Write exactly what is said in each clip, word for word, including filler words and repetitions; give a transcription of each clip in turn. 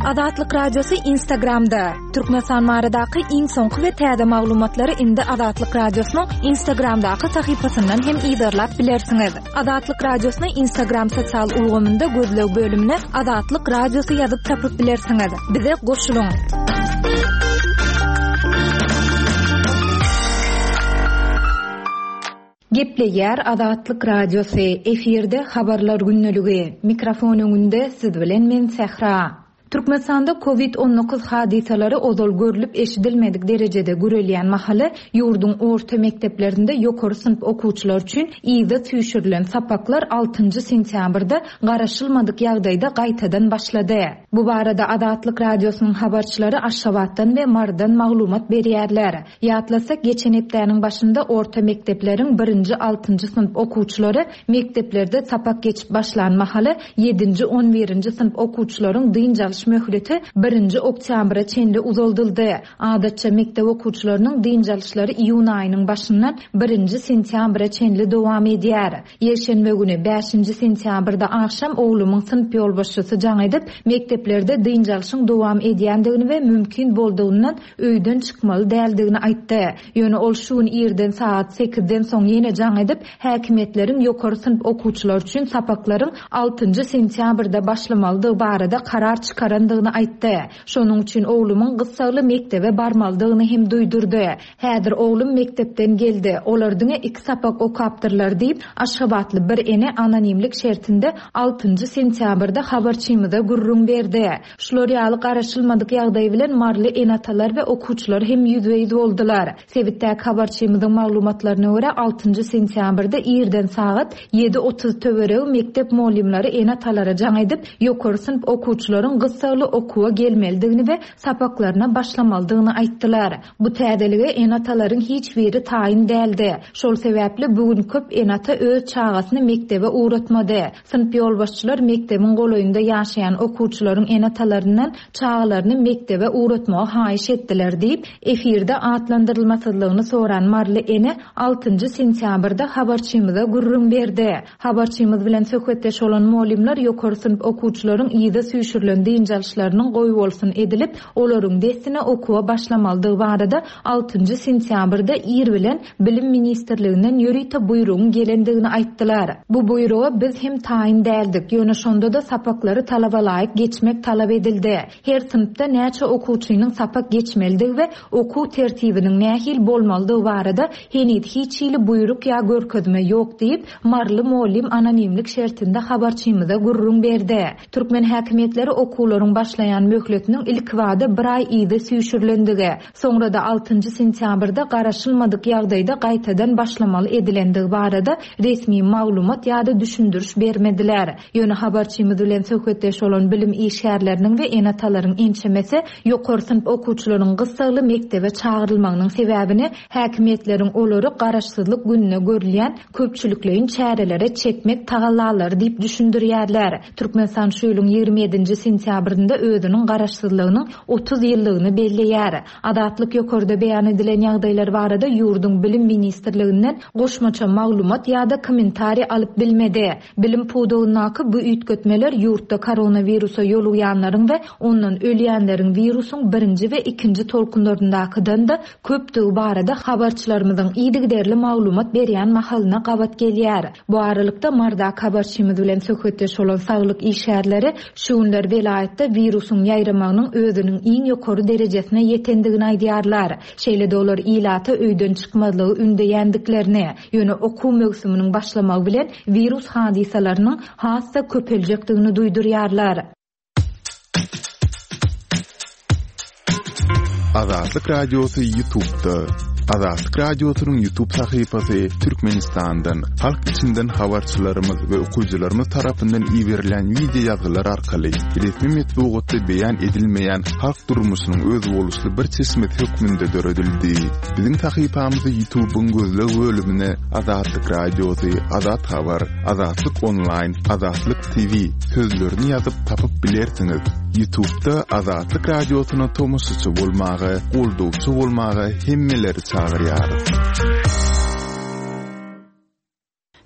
Azatlyk Radiosy Instagramda. Türkmenistan baradaky iň soňky we täze maglumatlary indi Azatlyk Radiosynyň Instagramdaky sahypasyndan hem yzarlap bilersiňiz. Azatlyk Radiosyny Instagram sosial ulgamynda gözleg bölümine Azatlyk Radiosy ýazyp tapyp bilersiňiz. Bize goşulyň. Gepleýär Azatlyk Radiosy, efirde Habarlar gündeligi. Mikrofon öňünde siz bilen men Sähra. Türkmenistanda Covid on dokuz hadysalary ozal görlüp eşidilmedik derejede gürelýän mahaly ýurduň orta mekdeplerinde ýokary synp okuwçylar üçin yza süýşürilen sapaklar altynjy sentýabrda garaşylmadyk ýagdaýda gaýtadan başlady. Bu barada Azatlyk Radiosynyň habarçylary Aşgabatdan we Marydan maglumat berýärler. Ýatlasak, geçen hepdäniň başynda orta mekdepleriň birinji altynjy synp okuwçylary mekdeplerde sapak geçip başlan mahaly ýedinji on birinji synp okuwçylaryň dynç alyş möhleti birinji oktýabra çenli uzaldyldy. Adatça mekdep okuwçylarynyň dynç alyşlary iýun aýynyň başyndan birinji sentýabra çenli dowam edýär. Ýekşenbe güni bäşinji sentýabrda agşam oglumyň synp ýolbaşçysy jaň edip, mekdeplerde dynç alyşyň dowam edýändigini we mümkin boldugyndan öýden çykmaly däldigini aýtdy. Ýöne ol şu gün irden saat sekizden soň ýene jaň edip, häkimiýetleriň ýokary synp okuwçylar üçin sapaklaryň altynjy sentýabrda başlamalydygy barada karar çykarandygyny aýtdy. Şonuň üçin oglumyň gyssagly mekdebe barmalydygyny hem duýdurdy. Häzir oglum mekdepden geldi. Olar diňe iki sapak okapdyrlar diýip, Aşgabatly bir ene anonimlik şertinde altynjy sentýabrda habarçymyza gürrüň berdi. Şular ýaly garaşylmadyk ýagdaý bilen Marly ene-atalar we okuwçylar hem ýüzbe-ýüz boldular. Sebitdäki habarçymyzyň maglumatlaryna görä altynjy sentýabrda irden sagat ýedi otuz töweregi mekdep mugallymlary ene-atalara jaň edip, ýokary synp okuwçylaryň gyssagly okuwa gelmelidigini we sapaklaryna başlamalydygyny aýtdylar. Bu täzelige ene-atalaryň hiç biri taýyn däldi. Şol sebäpli bu gün köp ene-ata öz çagasyny mekdebe ugratmady. Synp ýolbaşçylar mekdebiň golaýynda ýaşaýan okuwçylaryň ene-atalaryndan çagalaryny mekdebe ugratmagy haýyş etdiler diýip, efirde atlandyrylmasyzlygyny soran Marly ene altynjy sentýabrda habarçymyza gürrüň berdi. Habarçymyz bilen söhbetdeş bolan mugallymlar ýokary synp okuwçylaryň yza süýşürilen dynç alyşlarynyň goý bolsun edilip, olaryň dessine okuwa başlamalydygy barada altynjy sentýabrda ir bilen Bilim ministrliginden ýörite buýrugyň gelendigini aýtdylar. Bu buýruga biz hem taýyn däldik, ýöne şonda-da sapaklary talaba laýyk geçmek talap edildi. Her synpda näçe okuwçynyň sapak geçmelidigi we okuw tertibiniň nähili bolmalydygy barada heniz hiç hili buýruk ýa görkezme ýok diýip, Marly mugallym anonimlik şertinde habarçymyza gürrüň berdi. Türkmen häkimiýetleri okuwlaryň başlaýan möhletiniň ilkibada bir aý yza süýşürilendigi, soňra-da altynjy sentýabrda garaşylmadyk ýagdaýda gaýtadan başlamaly edilendigi barada resmi maglumat ýa-da düşündiriş bermediler. Ýöne habarçymyz bilen söhbetdeş bolan bilim işgärleriniň we ene-atalaryň ençemesi ýokary synp okuwçylaryň gyssagly mekdebe çagyrylmagynyň sebäbini häkimiýetleriň olary garaşsyzlyk gününe görülýän köpçülikleýin çärelere çekmek tagallalary diýip düşündirýärler. Türkmenistan şu ýylyň ýigrimi ýedinji sentýabrynda özüniň garaşsyzlygynyň otuz ýyllygyny belleýär. Azatlyk ýokarda beýan edilen ýagdaýlar barada ýurduň bilim ministrliginden goşmaça maglumat ýa-da kommentariý alyp bilmedi. Bilim pudagyndaky bu üýtgetmeler ýurtda koronawirusa ýolugýanlaryň we ondan ölýänleriň wirusyň birinji we ikinji tolkunlaryndakydan-da köpdügi barada habarçylarymyzyň yzygiderli maglumat berýän mahalyna gabat gelýär. Bu aralykda Mardak habarçymyz bilen söhbetdeş bolan saglyk işgärleri şu günler welaýatda wirusyň ýaýramagynyň özüniň iň ýokary derejesine ýetendigini aýdýarlar. Şeýle-de olar ilata öýden çykmazlygy ündeýändiklerini, ýöne okuw möwsüminiň başlamagy bilen wirus hadysalarynyň has-da köpeljekdigini duýdurýarlar. Azatlyk Radiosy YouTube'da. Azatlyk Radiosynyň YouTube sahypasy Türkmenistandan, halk içinden habarçylarymyz we okyjylarymyz tarapyndan iberilen video ýazgylar arkaly resmi metbugatda beýan edilmeýän halk durmuşynyň özboluşly bir çeşmesi hökmünde döredildi. Biziň sahypamyzy YouTube'yň gözleg bölümine Azatlyk Radiosy, Azat Habar, Azatlyk Online, Azatlyk T V sözlerini ýazyp tapyp bilersiňiz. YouTube'da Azatlyk Radiosyna tomaşaçy bolmaga, goldawçy bolmaga hemmeleri çagyrýarys.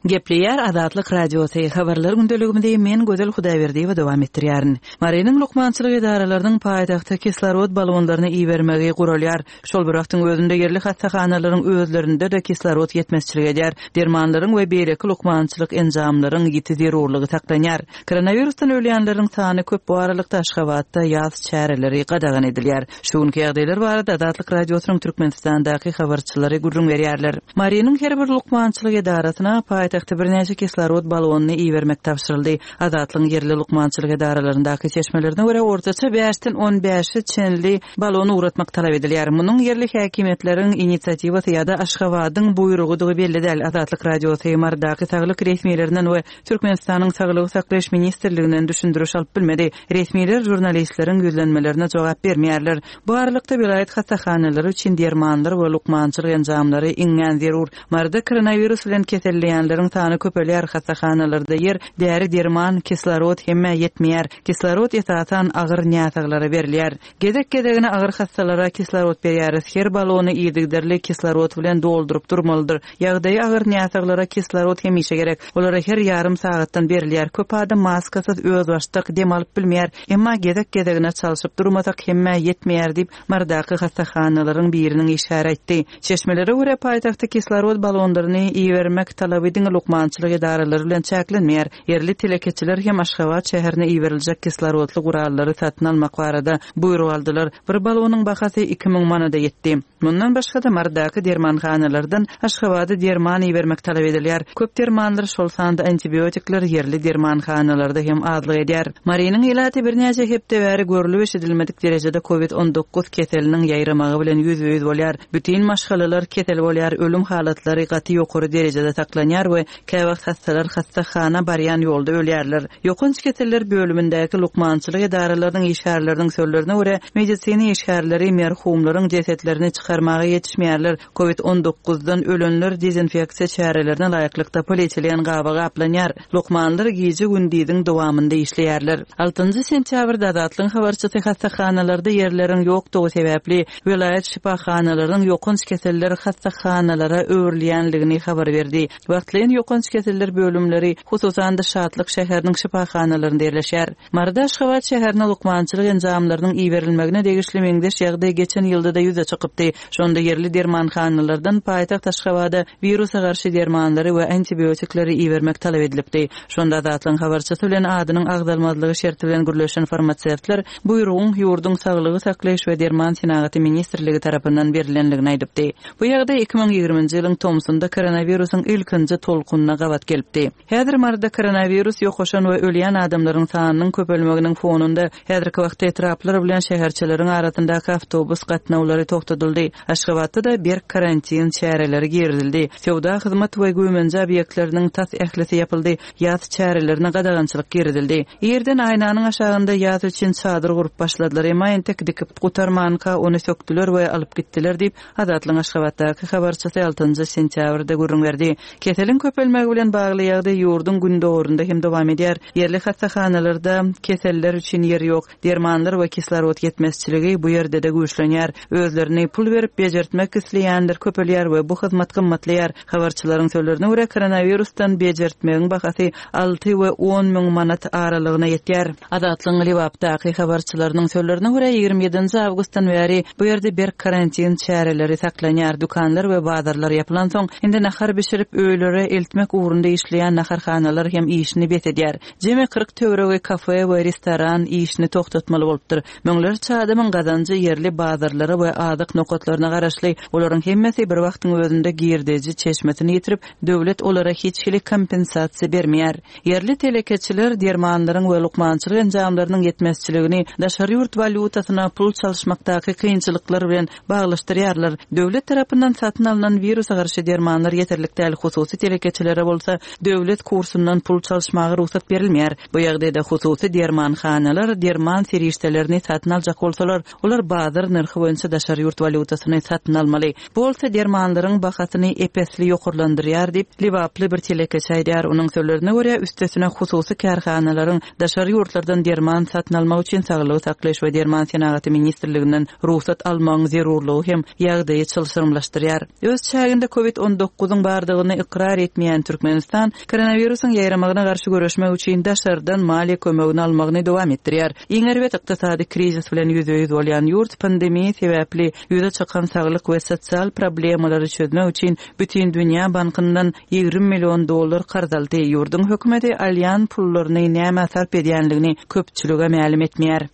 Gepleýär Azatlyk Radiosy, habarlar gündeligimizi men Gözel Hudaýberdiýewa dowam etdirýärin. Marynyň lukmançylyk edaralarynyň paýtagta kislorod balonlaryny ibermegi guralýar. Şol bir wagtyň özünde ýerli hassahanalaryň özlerinde-de kislorod ýetmezçilik edýär. Dermanlaryň we beýleki lukmançylyk enjamlaryň ýiti zerurlygy saklanýar. Koronawirusdan ölýänleriň sany köp, bu aralykda Aşgabatda ýaz çäreleri gadagan edilýär. Şu günki ýagdaýlar barada Azatlyk Radiosynyň Türkmenistandaky habarçylary gürrüň berýärler. Marynyň her bir lukmançylyk edarasyna paýtagta birnäçe kislorod balonyny ibermek tabşyryldy. Azatlygyň ýerli lukmançylyk edaralaryndaky çeşmelerine görä ortaça bäşden on bäşe çenli balon ugratmak talap edilýär. Munuň ýerli häkimiýetleriň inisiatiwasy ýa-da Aşgabadyň buýrugydygy belli däl. Azatlyk Radiosy Marydaky saglyk resmilerinden we Türkmenistanyň Saglygy saklaýyş ministrliginden düşündiriş alyp bilmedi. Resmiler žurnalistleriň ýüzlenmelerine jogap bermeýärler. Bu aralykda welaýat hassahanalary üçin dermanlar we lukmançylyk enjamlary iňňän zerur. Maryda koronawirus bilen keselleýänleriň sany köpelýär. Hassahanalarda ýer, däri, derman, kislorod hemme ýetmeýär. Kislorod esasan agyr näsaglara berilýär. Gezek-gezegine agyr hassalara kislorod berýäris. Her balony yzygiderli kislorod bilen dolduryp durmalydyr. Ýagdaýy agyr näsaglara kislorod hemişe gerek. Olara her ýarym sagatdan berilýär. Köp adam maskasyz özbaşdak dem alyp bilmeýär. Emma gezek-gezegine çalşyp durmasak hemme ýetmeýär diýip Marydaky hassahanalaryň biriniň işgäri aýtdy. Çeşmelere görä paýtagtda kislorod balonlaryny ibermek talaby diňe lukmançylyk edaralary bilen çäklenmeýär. Ýerli telekeçiler hem Aşgabat şäherine iberiljek kislorodly gurallary satyn almak barada buýruk aldylar. Bir balonyň bahasy iki müň manada ýetdi. Mundan başga-da Marydaky dermanhanalardan Aşgabada derman ibermek talap edilýär. Köp dermanlar, şol sanda antibiotikler ýerli dermanhanalarda hem azlyk edýär. Marynyň ilaty birnäçe hepde bäri görlüp eşidilmedik derejede COVID on dokuz keseliniň ýaýramagy bilen ýüzbe-ýüz bolýar. Bütün maşgalalar kesel bolýar, ölüm halatlary gaty ýokary derejede saklanýar we käwagt hassalar hassahana barýan ýolda ölýärler. Ýokanç keseller bölümindäki lukmançylyk edaralarynyň işgärleriniň sözlerine görä medisina işgärleri merhumlaryň jesetlerini çykarmaga ýetişmeýärler. COVID on dokuzdan ölenler dezinfeksiýa çärelerine laýyklykda polietilen gaba gaplanýar. Lukmanlar gije gündiziň dowamynda işleýärler. Altynjy sentýabrda Azatlygyň habarçysy hassahanalarda ýerleriň ýokdugy sebäpli welaýat şifahanalarynyň ýokanç keseller hassahanalara öwrülýänligini habar berdi. Wagtlaýyn ýokanç keseller bölümleri hususan-da Şatlyk şäheriniň şifahanalarynda ýerleşýär. Maryda Aşgabat şäherine lukmançylyk enjamlarynyň iberilmegine degişli meňzeş ýagdaý geçen ýylda-da ýüze çykypdy. Şonda ýerli dermanhanalardan paýtagt Aşgabada wirusa garşy dermanlary we antibiotikleri ibermek talap edilipdi. Şonda Azatlygyň habarçysy bilen adynyň agzalmazlygy şerti bilen gürleşen farmasewtler buýrugyň ýurduň saglygy saklaýyş we derman senagaty ministrligi tarapyndan berilenligini aýdypdy. Bu ýagdaý iki müň ýigriminji ýylyň tomsunda koronawirusyň ilkinji tolkunyna gabat gelipdi. Häzir Maryda koronawirus ýokaşan we ölýän adamlaryň sanynyň köpelmeginiň fonunda häzirki wagtda etraplar bilen şäherçeleriň arasyndaky awtobus gatnawlary togtadyldy. Aşgabatda da berk karantin çäreleri girizildi. Söwda hyzmat we güýmenje obýektleriniň tas ählisi ýapyldy. Ýaz çärelerine gadagançylyk girizildi. Ýerden aýnanyň aşagynda ýaz üçin çadyr gurup başladylar. Emma entek dikip gutarmanka ony sökdüler we alyp gitdiler diýip Azatlygyň Aşgabatdaky habarçysy altynjy sentýabrda gürrüň berdi. Keseliň köpelmegi bilen bagly ýagdaý ýurduň gündogurynda hem dowam edýär. Ýerli hassahanalarda keseller üçin ýer ýok. Dermanlar we kislorod ýetmezçiligi bu ýerde-de güýçlenýär. Özlerini pul berip bejertmek isleýänler köpelýär we bu hyzmat gymmatlaýar. Habarçylaryň sözlerine görä koronavirusdan bejertmegiň bahasy alty we on müň manat aralygyna ýetýär. Azatlygyň Lebapdaky habarçylarynyň sözlerine görä ýigrimi ýedinji awgustdan bäri bu ýerde berk karantin çäreleri saklanýar. Dükanlar we bazarlar ýapylansoň indi nahar bişirip öýlere eltmek ugrunda işleýän naharhanalar hem işini bes edýär. Jemi kyrk töweregi kafe we restoran işini togtatmaly bolupdyr. Müňlerçe adamyň gazanjy ýerli bazarlara we azyk nokatlaryna garaşly. Olaryň hemmesi bir wagtyň özünde girdeji çeşmesini ýitirip, döwlet olara hiç hili kompensasiýa bermeýär. Ýerli telekeçiler dermanlaryň we lukmançylyk enjamlarynyň ýetmezçiligini daşary ýurt walýutasyna pul çalyşmakdaky kynçylyklar bilen baglaşdyrýarlar. Döwlet tarapyndan satyn alynan wirusa garşy dermanlar ýeterlik däl, hususy telekeçilere bolsa döwlet kursundan pul çalyşmaga rugsat berilmeýär. Bu ýagdaýda hususy dermanhanalar derman serişdelerini satyn aljak bolsalar, olar bazar nyrhy boýunça daşary ýurt walýutasyny satyn almaly. Bu bolsa dermanlaryň bahasyny epesli ýokarlandyrýar diýip Lebaply bir telekeçi aýdýar. Onuň sözlerine görä üstesine hususy kärhanalaryň daşary ýurtlardan derman satyn almak üçin saglygy saklaýyş we derman senagaty ministrliginden rugsat almagyň zerurlygy hem ýagdaýy çylşyrymlaşdyrýar. Öz çäginde COVID on dokuzyň bardygyny ykrar etmeýän Türkmenistan koronawirusyň ýaýramagyna garşy göreşmek üçin daşardan maliýe kömegini almagyny dowam etdirýär. Iň erbet ykdysady krizis bilen ýüzbe-ýüz bolýan ýurt pandemiýa sebäpli ýüze çykan saglyk we sosial problemalary çözmek üçin Bütün Dünýä Bankyndan ýigrimi million dollar karz aldy. Ýurduň hökümeti alýan pullaryny näme sarp edýänligini köpçülige mälim etmeýär.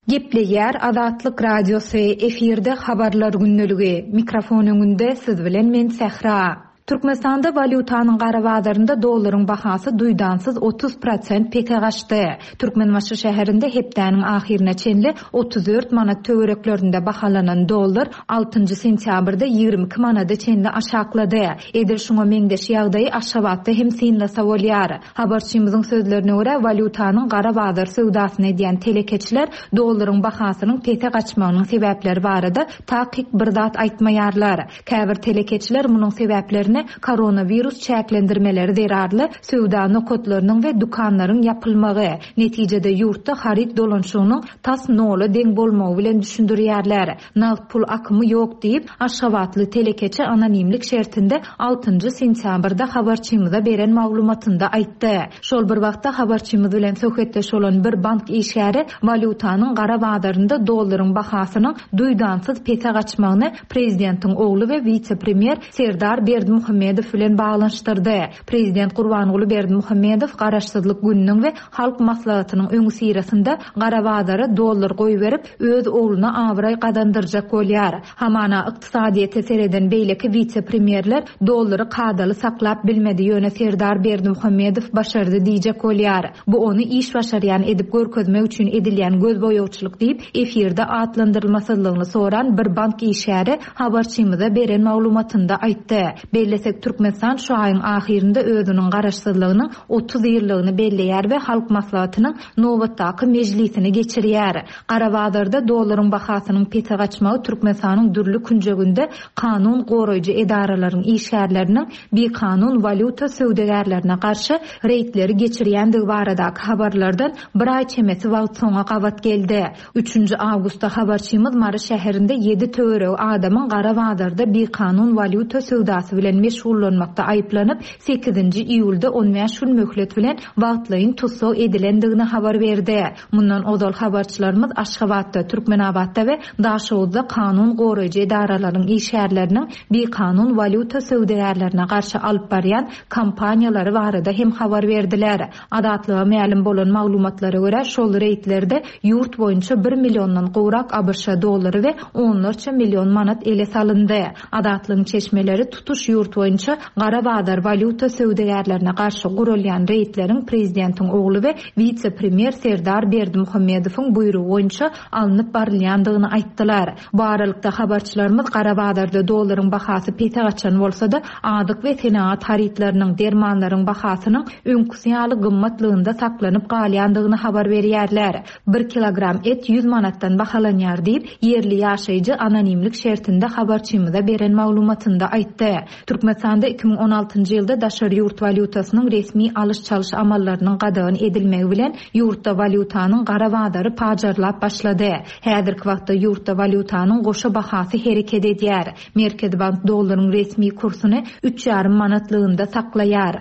Gepleýär Azatlyk Radiosy, efirde habarlar gündeligi. Mikrofon öňünde siz bilen men Sähra. Türkmenistanda walýutanyň gara bazarynda dollaryň bahasy duýdansyz otuz prosent pese gaçdy. Türkmenbaşy şäherinde hepdäniň ahyryna çenli otuz dört manat töwereklerinde bahalanan dollar altynjy sentýabrda ýigrimi iki manada çenli aşaklady. Edil şuňa meňzeş ýagdaýy Aşgabatda hem synlasa bolýar. Habarçymyzyň sözlerine görä, walýutanyň gara bazar söwdasyny edýän telekeçiler dollaryň bahasynyň pese gaçmagynyň sebäpleri barada takyk bir zat aýtmaýarlar. Käbir telekeçiler munuň sebäplerini koronawirus çäklendirmeleri zerarly söwda nokatlarynyň we dükanlaryň ýapylmagy, netijede ýurtda haryt dolanşygynyň tas nola deň bolmagy bilen düşündirýärler. Nagt pul akymy ýok diýip, Aşgabatly telekeçi anonimlik şertinde altynjy sentýabrda habarçymyza beren maglumatynda aýtdy. Şol bir wagtda habarçymyz bilen söhbetdeş bolan bir bank işgäri walýutanyň gara bazarynda dollaryň bahasynyň duýdansyz pese gaçmagyny prezidentiň ogly we wise-premýer Serdar Berdimuhamedow bilen baglanyşdyrdy. Prezident Gurbanguly Berdimuhamedow Garaşsyzlyk gününiň we Halk Maslahatynyň öňi syrasynda gara bazara dollar goýberip, öz ogluna abraý gazandyrjak bolýar. Hamana ykdysadyýete sereden beýleki wise-premýerler dollary kadaly saklap bilmedi, ýöne Serdar Berdimuhamedow başardy diýjek bolýar. Bu ony iş başarýan edip görkezmek üçin edilýän göz boýagçylyk diýip, efirde atlandyrylmasyzlygyny soran bir bank işgäri habarçymyza beren maglumatynda aýtdy. Bellesek, Türkmenistan şu aýyň ahyrynda özüniň garaşsyzlygynyň otuz ýyllygyny belleýär we Halk Maslahatynyň nobatdaky mejlisini geçirýär. Gara bazarda dollaryň bahasynyň pese gaçmagy Türkmenistanyň dürli künjeginde kanun goraýjy edaralaryň işgärleriniň bikanun walýuta söwdagärlerine garşy reýdleri geçirýändigi baradaky habarlardan bir aý çemesi wagt soňa gabat geldi. Üçünji awgustda habarçymyz Mary şäherinde ýedi töweregi adamyň gara bazarda bikanun walýuta söwdasy bilen meşgullanmakda aýyplanyp, sekizinji iýulda on bäş gün möhlet bilen wagtlaýyn tussag edilendigini habar berdi. Mundan ozal habarçylarymyz Aşgabatda, Türkmenabatda we Daşoguzda kanun goraýjy edaralaryň işgärleriniň bikanun walýuta söwdagärlerine garşy alyp barýan kampaniýalary barada hem habar berdiler. Azatlyga mälim bolan maglumatlara görä, şol reýdlerde ýurt boýunça bir milliondan gowrak A B Ş dollary we onlarça million manat ele salyndy. Azatlygyň çeşmeleri tutuş ýurt boýunça gara bazar walýuta söwdagärlerine garşy gurulýan reýdleriň prezidentiň ogly we wise-premýer Serdar Berdimuhamedowyň buýrugy boýunça alnyp barylýandygyny aýtdylar. Bu aralykda habarçylarymyz gara bazarda dollaryň bahasy pese gaçan bolsa-da, azyk we senagat harytlarynyň, dermanlaryň bahasynyň öňküsi ýaly gymmatlygynda saklanyp galýandygyny habar berýärler. Bir kilogram et ýüz manatdan bahalanýar diýip, ýerli ýaşaýjy anonimlik şertinde habarçymyza beren maglumatynda aýtdy. Türkmenistanda iki müň on altynjy ýylda daşary ýurt walýutasynyň resmi alyş-çalyş amallarynyň gadagan edilmegi bilen ýurtda walýutanyň gara bazary pajarlap başlady. Häzirki wagtda ýurtda walýutanyň goşa bahasy hereket edýär. Merkezi bank dollaryň resmi kursuny üç ýarym manatlygynda saklaýar.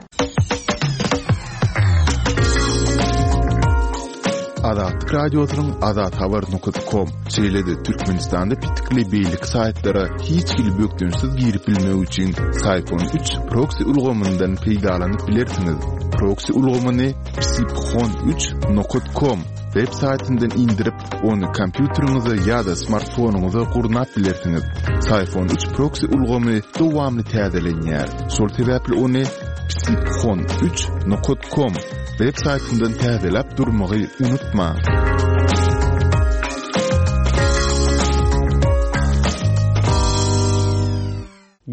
Azatlyk Radiosynyň Azat Habar nokta com, şeýle-de Türkmenistanda pitikli beýleki saýtlara hiç hili bökdençsiz girip bilmek üçin Syphon üç proxy ulgamyndan peýdalanyp bilersiňiz. Proxy ulgamyny psiphon üç nokta com web saýtyndan indirip, ony kompýuteriňize ýa-da smartfonyňyza gurnap bilersiňiz. Syphon üç proxy ulgamy dowamly täzelenýär. Şol sebäpli ony psiphon üç nokta com web saýtyndan täzeläp durmagy unutma.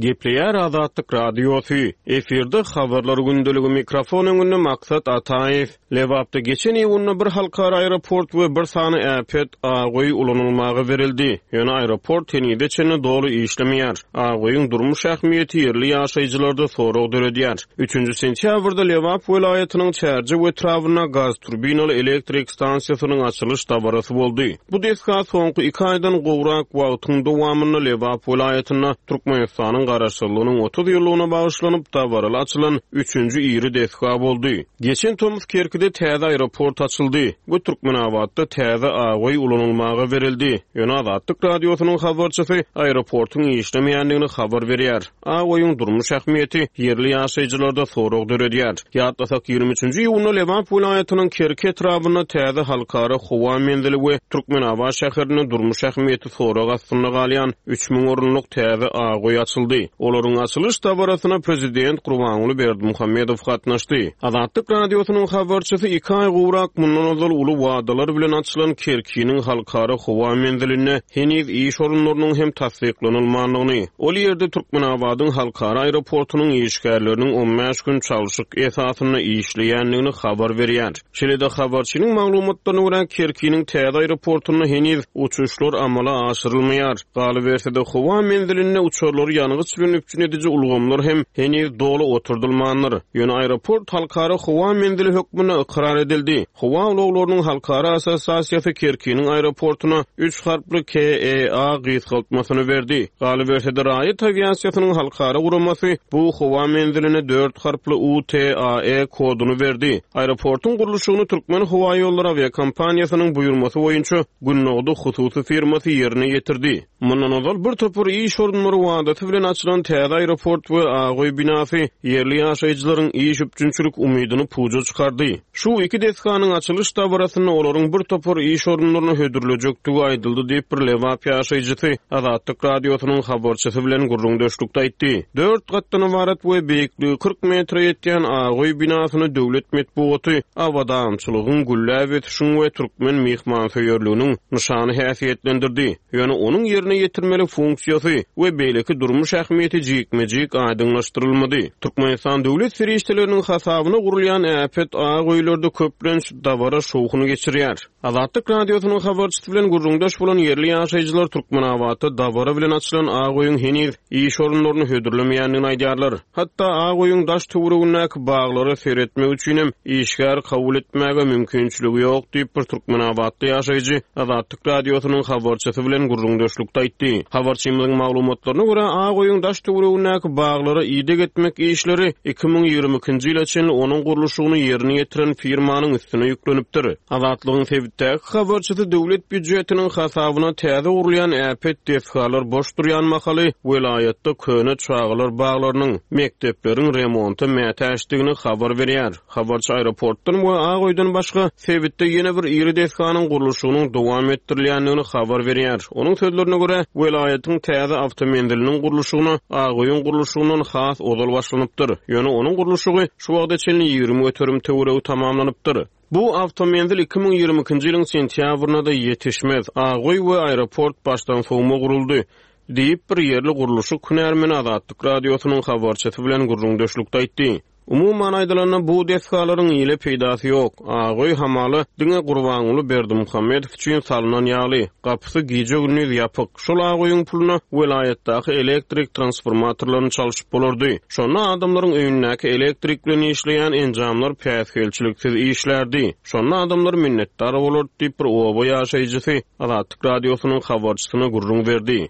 Gepleýär Azatlyk Radiosy. Efirde habarlar gündeligi mikrofon öňünde Maksat Ataýew. Lebapda geçen iýunda bir halkara aeroport we bir sany äpet Agoý ulanylmaga berildi. Ýöne aeroport henize çenli doly işlemeýär. Agoýyň durmuş ähmiýeti ýerli ýaşaýjylarda sorag döredýär. Üçünji sentýabrda Lebap welaýatynyň Çärje we Trabzonda gaz turbinaly elektrik stansiýasynyň açylyş dabarasy boldy. Bu desga soňky iki aýdan gowrak wagtyň dowamynda Lebap welaýatynda Türkmenistanyň Garaşsyzlygynyň otuz ýyllygyna bagyşlanyp dabaraly açylan üçünji iri desga boldy. Geçen tomus Kerkide täze aeroport açyldy we Türkmenabatda täze Agöý ulanylmaga berildi. Ýöne Azatlyk Radiosynyň habarçysy aeroportuň işlemeýändigini habar berýär. Agöýüň durmuş ähmiýeti ýerli ýaşaýjylarda sorag döredýär. Ýatlasak ýigrimi üçünji iýunda Lebap welaýatynyň Kerki etrabynda täze halkara howa menzili we Türkmenabat şäherinde durmuş ähmiýeti sorag astynda galýan üç müň orunlyk täze Agöý açyldy. Olaryň açylyş dabarasyna prezident Gurbanguly Berdimuhamedow gatnaşdy. Azatlyk Radiosynyň habarçysy iki aý gowrak mundan ozal uly wadalar bilen açylan Kerkiniň halkara howa menzilinde heniz iş orunlarynyň hem tassyklanylmandygyny, ol ýerde Türkmenabadyň halkara aeroportunyň işgärleriniň on bäş gün çalşyk esasynda işleýändigini habar berýär. Şeýle-de habarçynyň maglumatlaryna görä Kerkiniň täze aeroportunda heniz uçuşlar amala aşyrylmaýar. Galyberse-de howa menzilinde uçarlary ýangyç bilen üpjün ediji ulgamlar hem heniz doly oturdylmandyr. Ýöne aeroport halkara howa menzili hökmünde ykrar edildi. Howa ulaglarynyň halkara assosiasiýasy Kerkiniň aeroportuna üç harply K E A gysgaltmasyny berdi. Galyberse-de raýat awiasiýasynyň halkara guramasy bu howa menziline dört harply U T A E koduny berdi. Aeroportuň gurluşygyny Türkmen Howa Ýollary awiakompaniýasynyň buýurmasy boýunça Gündogdy hususy firmasy ýerine ýetirdi. Mundan ozal bir topar iş orunlary wadasy bilen açylan täze aeroport we Agöý binasy ýerli ýaşaýjylaryň iş üpjünçilik umydyny puja çykardy. Şu iki desganyň açylyş dabarasynda olaryň bir topar iş orunlaryny hödürlejekdigi aýdyldy diýip bir Lebap ýaşaýjysy Azatlyk Radiosynyň habarçysy bilen gürrüňdeşlikde aýtdy. Dört gatdan ybarat we beýikligi kyrk metre ýetýän Agöý binasyny döwlet metbugaty abadançylygyň, gülläp ösüşiň we türkmen myhmansöýerliginiň nyşany häsiýetlendirdi. Ýöne onuň ýerine ýetirmeli funksiýasy we beýleki durmuş ähmiýeti jikme-jik aýdyňlaşdyrylmady. Türkmenistan döwlet serişdeleriniň hasabyna gurulýan äpet Agöýlerde köplenç dabara şowhuny geçirýär. Azatlyk Radiosynyň habarçysy bilen gürrüňdeş bolan ýerli ýaşaýjylar Türkmenabatda dabara bilen açylan Agöýüň heniz iş orunlaryny hödürlemeýändigini aýdýarlar. Hatda Agöýüň daş töweregindäki baglara seretmek üçin hem işgär kabul etmäge mümkinçiligi ýok diýip bir Türkmenabatly ýaşaýjy Azatlyk Radiosynyň habarçysy bilen gürrüňdeşlikde aýtdy. Habarçymyzyň maglumatlaryna görä Agöýüň daş töweregindäki baglara ideg etmek işleri iki müň ýigrimi ikinji ýyla çenli onuň gurluşygyny ýerine ýetiren firmanyň üstüne ýüklenipdir. Azatlygyň sebitdäki habarçysy döwlet býujetiniň hasabyna täze gurulýan äpet desgalar boş durýan mahaly welaýatda köne çagalar baglarynyň, mekdepleriň remonta mätäçdigini habar berýär. Habarçy aeroportdan we Agöýden başga sebitde ýene bir iri desganyň gurluşygynyň dowam etdirilýändigini habar berýär. Onuň sözlerine görä welaýatyň täze awtomenziliniň gurluşygyna Agöýüň gurluşygyndan has ozal başlanypdyr. Ýöne onuň gurluşygy şu wagta çenli ýigrimi göterim töweregi tamamlanypdyr. Bu awtomenzil iki müň ýigrimi ikinji ýylyň sentýabrynda ýetişmez. Agöý we aeroport başdan sowma guruldy diýip bir ýerli gurluşyk hünärmeni Azatlyk Radiosynyň habarçysy bilen gürrüňdeşlikde aýtdy. Umuman aýdylanda bu desgalaryň ýyly peýdasy ýok. Agöý hamala diňe Gurbanguly Berdimuhamedow üçin salynan ýaly, gapysy gije-gündiz ýapyk. Şol Agöýüň puluna welaýatdaky elektrik transformatorlaryny çalşyp bolardy. Şonda adamlaryň öýündäki elektrik bilen işleýän enjamlar päsgelçiliksiz işlerdi. Şonda adamlar minnetdar bolardy diýip bir oba ýaşaýjysy Azatlyk Radiosynyň habarçysyna gürrüň berdi.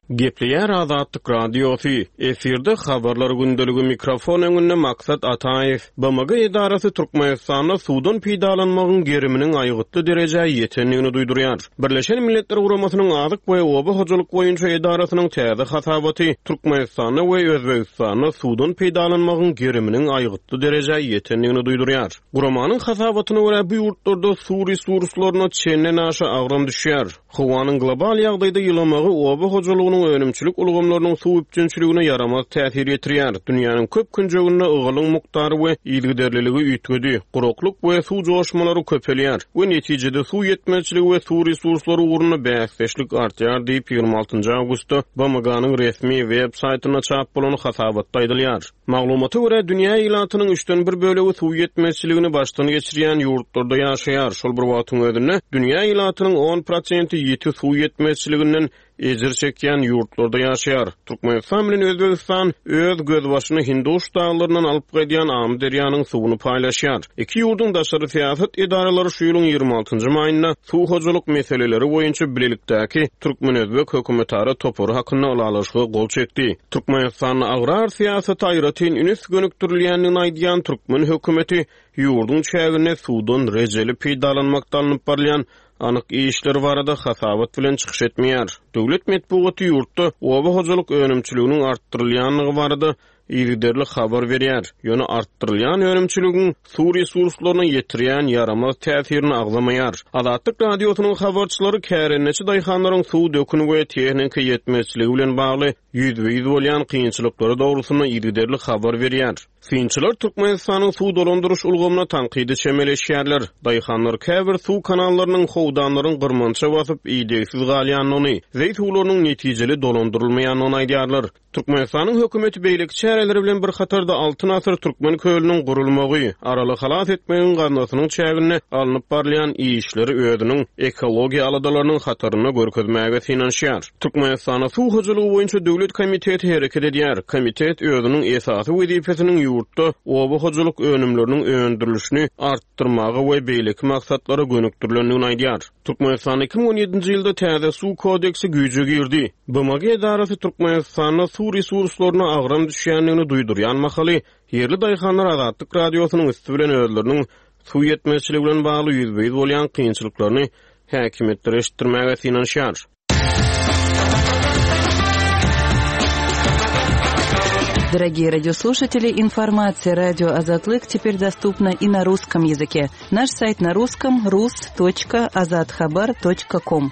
Gepleýär Azatlyk Radiosy. Efirde habarlar gündeligi mikrofon öňünde Maksat Ataýew. B M G edarasy Türkmenistanda suwdan peýdalanmagyň geriminiň aýgytly derejä ýetendigini duýdurýar. Birleşen Milletler Guramasynyň Azyk we Oba hojalyk boýunça edarasynyň täze hasabaty Türkmenistanda we Özbegistanda suwdan peýdalanmagyň geriminiň aýgytly derejä ýetendigini duýdurýar. Guramanyň hasabatyna görä bu ýurtlarda suw resurslaryna çenden aşa agram düşýär. Howanyň global ýagdaýda ýylamagy oba hojalygynyň önümçilik ulgamlarynyň suw üpjünçiligine ýaramaz täsir ýetirýär. Dünýäniň köp künjeginde ygalyň mukdary we yzygiderliligi üýtgedi. Guraklyk we suw joşmalary köpelýär we netijede suw ýetmezçiligi we suw resurslary ugrunda bäsdeşlik artýar diýip ýigrimi altynjy awgustda B M G-nyň resmi web saýtynda çap bolan hasabatda aýdylýar. Maglumata görä dünýä ilatynyň üçden bir bölegi suw ýetmezçiligini başdan geçirýän ýurtlarda ýaşaýar. Şol bir wagtyň özünde dünýä ilatynyň on prosenti ýiti suw ýetmezçiliginden ejir çekýän ýurtlarda ýaşaýar. Türkmenistan bilen Özbegistan öz gözbaşyny Hinduş daglaryndan alyp gaýdýan Amyderýanyň suwuny paýlaşýar. Iki ýurduň daşary syýasat edaralary şu ýylyň ýigrimi altynjy maýynda suw hojalyk meseleleri boýunça bilelikdäki Türkmen-Özbek hökümetara topary hakynda ylalaşyga gol çekdi. Türkmenistanda agrar syýasata aýratyn üns gönükdirilýändigini aýdýan türkmen hökümeti ýurduň çäginde suwdan rejeli peýdalanmakda alnyp barylýan anyk işler barada hasabat bilen çykyş etmeýär. Döwlet metbugaty ýurtda oba hojalyk önümçiliginiň artdyrylýandygy barada yzygiderli habar berýär. Ýöne artdyrylýan önümçiligiň suw resurslaryna ýetirýän ýaramaz täsirini agzamaýar. Azatlyk radiosynyň habarçylary kärendeçi daýhanlaryň suw döküni we tehniki ýetmezçiligi bilen bagly ýüzbe-ýüz bolýan kynçylyklary dogrusynda yzygiderli habar berýär. Synçylar Türkmenistanyň suw dolandyryş ulgamyna tankydy çemeleşýärler. Daýhanlar käbir suw kanallarynyň howdanlaryň gyrmança basyp idegsiz galýandygyny, zeý suwlarynyň netijeli dolandyrylmaýandygyny aýdýarlar. Türkmenistanyň hökümeti beýleki çäreleri bilen bir hatarda Altyn asyr Türkmen kölüniň gurulmagy, Araly halas etmegiň gaznasynyň çäginde alnyp barylýan işleri özüniň ekologiýa aladalarynyň hatarynda görkezmäge synanyşýar. Türkmenistanda suw hojalygy boýunça döwlet komiteti hereket edýär. Komitet özüniň esasy wezipesiniň ýurtda oba hojalyk önümleriniň öndürilişini artdyrmaga we beýleki maksatlara gönükdirilendigini aýdýar. Türkmenistanda iki müň on ýedinji ýylda täze suw kodeksi güýje girdi. B M G edarasy Türkmenistanda suw resurslaryna agram düşýändigini duýdurýan mahaly ýerli daýhanlar Azatlyk radiosynyň üsti bilen özleriniň suw ýetmezçiligi bilen bagly ýüzbe-ýüz bolýan kynçylyklaryny häkimiýetlere eşitdirmäge synanyşýar. Дорогие радиослушатели, информация радио Азатлык теперь доступна и на русском языке. Наш сайт на русском рус точка азатхабар точка ком.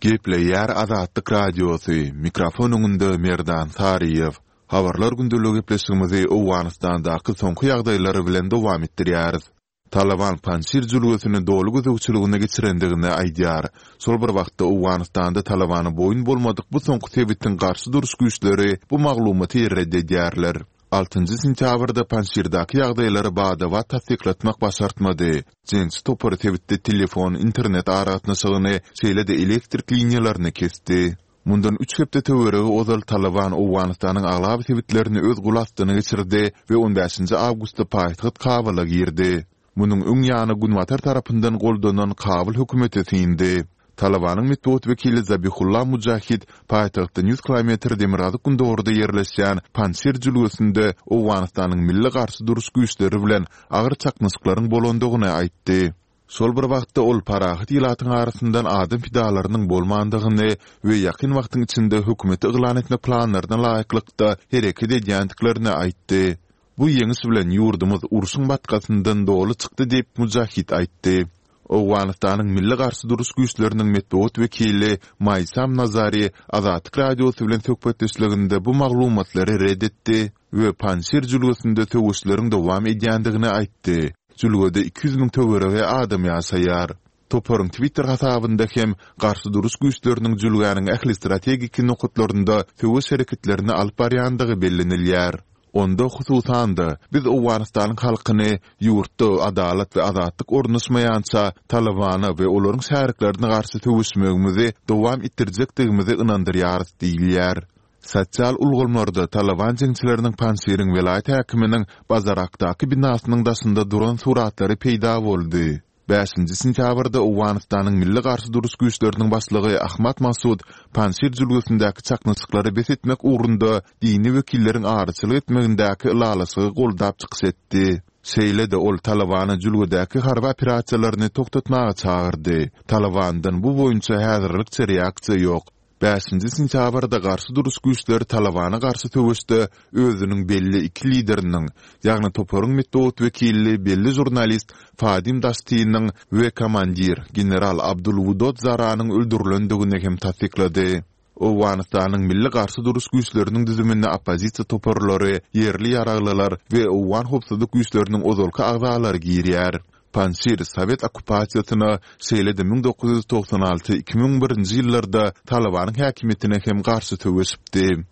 Gepleýär Azatlyk radiosy, mikrofon öňünde Merdan Saryýew. Habarlar gündeligi gepleşigimizi Owganystandaky soňky ýagdaýlary bilen dowam etdirýäris. Taliban Panjshir jülgesini doly gözegçiligine geçirendigini aýdýar. Şol bir wagtda Owganystanda Talibana boýun bolmadyk bu soňky sebitiň garşy duruş güýçleri bu maglumaty red edýärler. Altynjy sentýabrda Panjshirdäki ýagdaýlary badabat tassyklatmak başartmady. Jeňçi topary sebitde telefon, internet aragatnaşygyny, şeýle-de elektrik liniýalaryny kesdi. Mundan üç hepde töweregi ozal Taliban Owganystanyň aglaba sebitlerini öz gul astyna geçirdi we on bäşinji awgustda paýtagt Kabula girdi. Munuň öň ýany Günbatar tarapyndan goldanan Kabul hökümeti syndy. Talibanyň metbugat wekili Zabihullah Mujahid paýtagtdan ýüz kilometr demirgazyk gündogarda ýerleşýän Panjshir jülgesinde Owganystanyň milli garşy duruş güýçleri bilen agyr çaknyşyklaryň bolandygyny aýtdy. Şol bir wagtda ol parahat ilatyň arasyndan adam pidalarynyň bolmandygyny we ýakyn wagtyň içinde hökümeti yglan etmek planlaryna laýyklykda hereket edýändiklerini aýtdy. Bu ýeňiş bilen ýurdumyz urşuň batkasyndan doly çykdy diýip Mujahid aýtdy. Owganystanyň milli garşy duruş güýçleriniň metbugat wekili Maýsam Nazari Azatlyk radiosy bilen söhbetdeşliginde bu maglumatlary red etdi we Panjshir jülgesinde söweşleriň dowam edýändigini aýtdy. Jülgede iki ýüz müň töweregi adam ýaşaýar. Toparyň Twitter hasabynda hem garşy duruş güýçleriniň jülgäniň ähli strategik nokatlarynda söweş hereketlerini alyp barýandygy bellenilýär. Onda hususan-da biz Owganystanyň halkyny ýurtda adalat we azatlyk ornaşmaýança Talibana we olaryň şäriklerine garşy söweşmegimizi dowam etdirjekdigimizi ynandyrýarys diýilýär. Sosial ulgamlarda Taliban jeňçileriniň Panjshiriň welaýat häkiminiň Bazarakdaky binasynyň daşynda duran suratlary peýda boldy. Bäşinji sentýabrda Owganystanyň milli garşy duruş güýçleriniň başlygy Ahmad Masud Panjshir jülgesindäki çaknyşyklary bes etmek ugrunda dini wekilleriň araçylyk etmegindäki ylalaşygy goldap çykyş etdi. Şeýle-de ol Talibana jülgedäki harby operasiýalaryny togtatmaga çagyrdy. Talibandan bu boýunça häzirlikçe reaksiýa ýok. Bäşinji sentýabrda garşy duruş güýçleri Talibana garşy söweşde özüniň belli iki lideriniň, ýagny toparyň metbugat wekili belli žurnalist Fadim Daştiniň we komandir general Abdul Wudod Zaranyň öldürilendigini hem tassyklady. Owganystanyň milli garşy duruş güýçleriniň düzüminde oppozisiýa toparlary, ýerli ýaraglylar we Owgan howpsuzlyk güýçleriniň ozalky agzalary girýär. Panjshir Sowet okkupasiýasyna şeýle-de müň dokuz ýüz togsan alty iki müň birinji ýyllarda Talibanyň häkimiýetine hem garşy söweşipdi.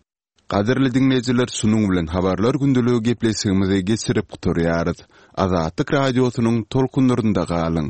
Gadyrly diňleýjiler, şunuň bilen Habarlar gündeligi gepleşigimizi geçirip gutarýarys. Azatlyk Radiosynyň tolkunlarynda galyň!